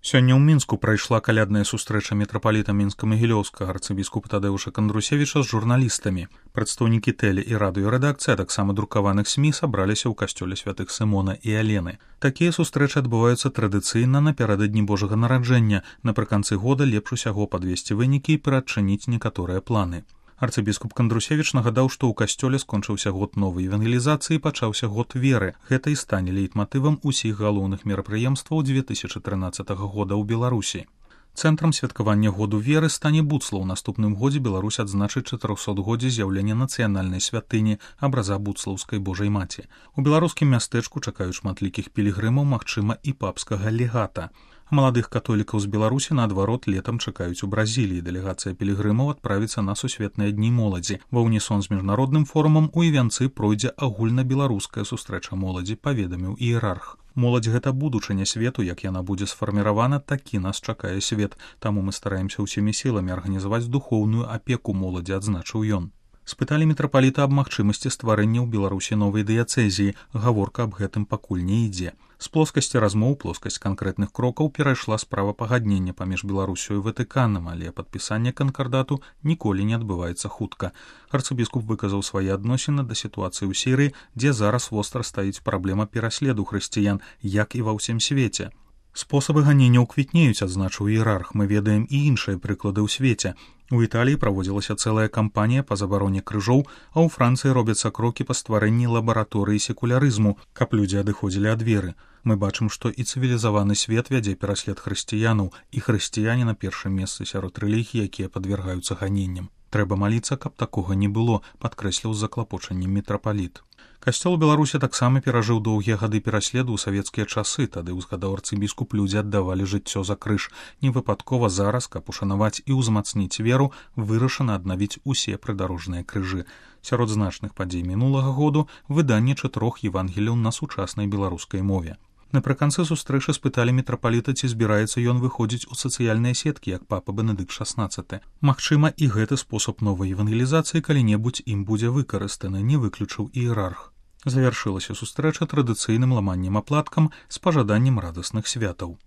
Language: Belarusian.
Сёння ў Мінску прайшла калядная сустрэча мітрапаліта мінска-магілёўскага арцыбіскупа Тадеуша Кандрусевіча з журналістамі. Прадстаўнікі тэле- і радыёрэдакцыі, а таксама друкаваных СМІ сабраліся ў касцёле святых Сымона і Алены. Такія сустрэчы адбываюцца традыцыйна напярэдадні Божага нараджэння. Напрыканцы года лепш усяго падвесці вынікі і пераадчыніць некаторыя планы. Арцыбіскуп Кандрусевіч нагадаў, што ў касцёле скончыўся год новай евангелізацыі, пачаўся год веры. Гэта і стане лейтматывам усіх галоўных мерапрыемстваў 2013 года ў Беларусі. Цэнтрам святкавання году веры стане Буцла. У наступным годзе Беларусь адзначыць 400годдзе з'яўлення нацыянальнай святыні абраза буцлаўскай Божай маці. У беларускім мястэчку чакаюць шматлікіх пілігрымаў, магчыма, і папскага легата. Маладых католікаў з Беларусі, наадварот, летам чакаюць у Бразіліі. Дэлегацыя пілігрымаў адправіцца на сусветныя дні моладзі. Ва ўнісон з міжнародным форумам у Івянцы пройдзе агульнабеларуская сустрэча моладзі, паведаміў іерарх. Моладзь — гэта будучыня свету, як яна будзе сфарміравана, такі нас чакае свет. Таму мы стараемся ўсімі сіламі арганізаваць духоўную апеку моладзі, адзначыў ён. Спыталі мітрапаліта аб магчымасці стварэння ў Беларусі новай дыяцэзіі. Гаворка аб гэтым пакуль не ідзе. З плоскасці размоў плоскасць канкрэтных крокаў перайшла справа пагаднення паміж Беларусю і Ватыканам, але падпісанне канкардату ніколі не адбываецца хутка. Арцыбіскуп выказаў свае адносіны да сітуацыі ў Сірыі, дзе зараз востра стаіць праблема пераследу хрысціян, як і ва ўсім свеце. Спосабы ганення квітнеюць, адзначыў іерарх. Мы ведаем і іншыя прыклады ў свеце. У Італіі праводзілася цэлая кампанія па забароне крыжоў, а ў Францыі робяцца крокі па стварэнні лабараторыі секулярызму, каб людзі адыходзілі ад веры. Мы бачым, што і цывілізаваны свет вядзе пераслед хрысціянаў, і хрысціяне на першым месцы сярод рэлігій, якія падвяргаюцца ганенням. Трэба маліцца, каб такога не было, падкрэсліў з заклапочаннем мітрапаліт. Касцёл у Беларусі таксама перажыў доўгія гады пераследу ў савецкія часы, тады узгадаў арцыбіскуп, людзі аддавалі жыццё за крыж. Невыпадкова зараз, каб ушанаваць і ўзмацніць веру, вырашана аднавіць усе прыдарожныя крыжы. Сярод значных падзей мінулага году выданне 4 евангеліяў на сучаснай беларускай мове. Напрыканцы сустрэчы спыталі мітрапаліта, ці збіраецца ён выходзіць у сацыяльныя сеткі, як папа Бенедыкт XVI. Магчыма, і гэты спосаб новай евангелізацыі калі-небудзь ім будзе выкарыстаны, не выключыў іерарх. Завяршылася сустрэча традыцыйным ламаннем аплаткам з пажаданнем радасных святаў.